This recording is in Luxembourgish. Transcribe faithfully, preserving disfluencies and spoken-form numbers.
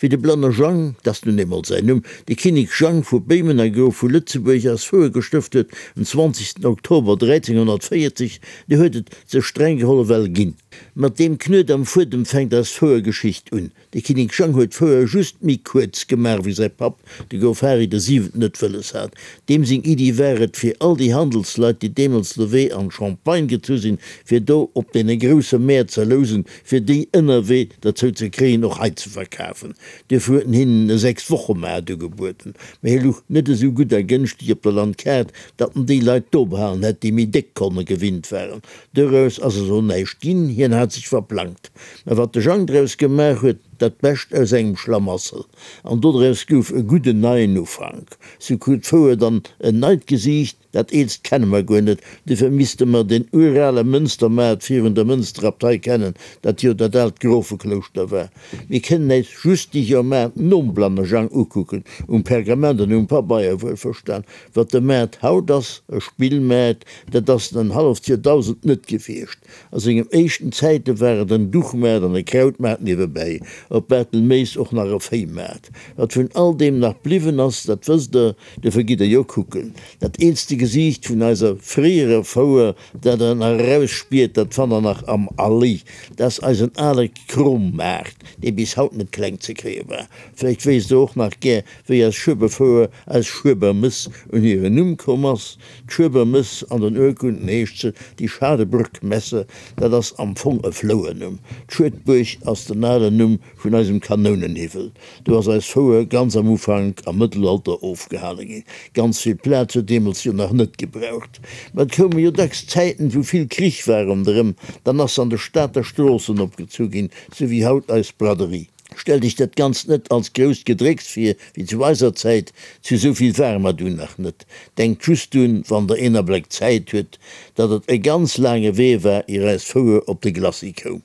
Wéi de Blanne Jang, 't ass nun eemol säin Numm, de Kinnek Jang vu Béimen a Grof vu Lëtzebuerg eis Fouer gestëft huet, en zwanzegsten Oktober dräizénghonnertvéierzeg, du huet et sech streng geholl ewell ginn. Mat deem Knuet am Fuedem fänkt eis Fouergeschicht un. De Kinnek Jang huet d'Fouer just méi kuerz gemaach wéi säi Papp, de Grof Hari de Siwenten, et wëlles hat. Deem seng Iddi war et, fir all déi Handelsleit, déi deemools lewee an d'Champagne gezu sinn, fir do op deene grousse Mäert ze lousen, fir déi ënnerwee derzou ze kréien, och hei ze verkafen. Duerfir huet en hinnen e Sechs-Woche-Maart ugebueden. Mä hie luch net esou gutt a gënschteg op der Landkaart, datt en déi Leit do behalen hätt, déi méi déck Konne gewinnt waren. Doraus ass eso näischt ginn, hien hat sech verplangt. Mä wat de Jang draus gemaach huet, dat Bescht aus engem Schlamassel, an dodraus gouf e gudden neien Ufank. Sou krut d'Fouer dann en neit Gesiicht, dat eelst kenne mer guer net, dofir misste mer den urale Mënstermaart virun der Mënsterabtei kennen, dat jo dat aalt Grofeklouschter war. Mir kënnen äis just déi Joermaart nom Blanne Jang ukucken, um Pergament an um Pabeier wuelverstan. Wat de Maart haut ass, e Spillmaart, dat ass en en halleft Joerdausend net gewiescht. A sengem éischten Zäite war et en Duchmaart an e Krautmaart niewebäi, op Barthelméis och nach e Véimaart. Wat vun all deem nach bliwwen ass, dat wësst Der, dofir gitt Der jo kucken. Dat eelste Gesiicht vun eiser fréierer Fouer, dat Der nach erausspiert, dat fannt Der nach am Allee. Dat ass eisen ale Krommaart, dee bis haut net kleng ze kréie war. Vläicht wéisst Der och nach gär, wéi eis Schueberfouer, eis Schuebermëss, un hiren Numm komm ass. D'Schuebermëss, an den Urkunden heescht se die Schadebrückmesse, dat ass am Fong e Flouernumm. D'Schuedbuerg ass den alen Numm vun eisem Kanounenhiwwel. Do ass eis Fouer ganz am Ufank, am Mëttelalter, ofgehale ginn. Ganz vill Plaz huet deemools jo nach net gebraucht. Mä et koume jo dacks Zäiten, wou vill Krich war ronderëm. Dann ass se an de Stater Stroossen opgezu ginn, sou wéi haut eis Braderie. Stellt iech dat Ganzt net als grousst Gedrécks vir, wéi zu eiser Zäit, zu esou vill ware mer dunn nach net. Denkt just drun, wann der een Abléck Zäit huet, datt et e ganz laange Wee war, ier eis Fouer op de Glacis koum.